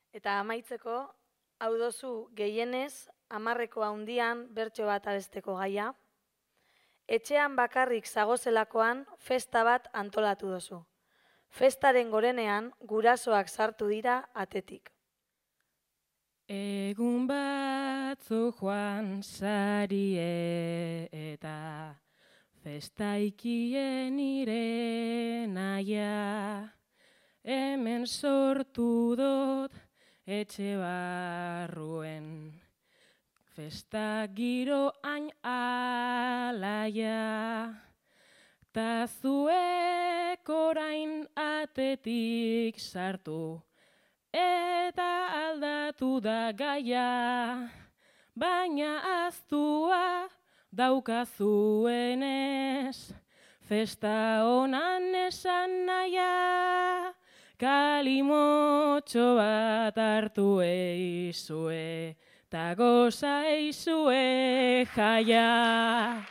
Eta amaitzeko, hau dozu gehienez, 10 handian bertso bat abesteko gaia. Etxean bakarrik zagozelakoan festa bat antolatu dozu. Festaren gorenean gurasoak sartu dira atetik. Egun batzu joan sarie eta festaikien nire naia, hemen sortu dut etxe barruen, festa giro hain alaia, ta zuek orain atetik sartu, eta aldatu da gaia, baina aztua daukazuenez, festa honan esan naia, kalimotxo bat hartu eizue, ta goza eizue jaia.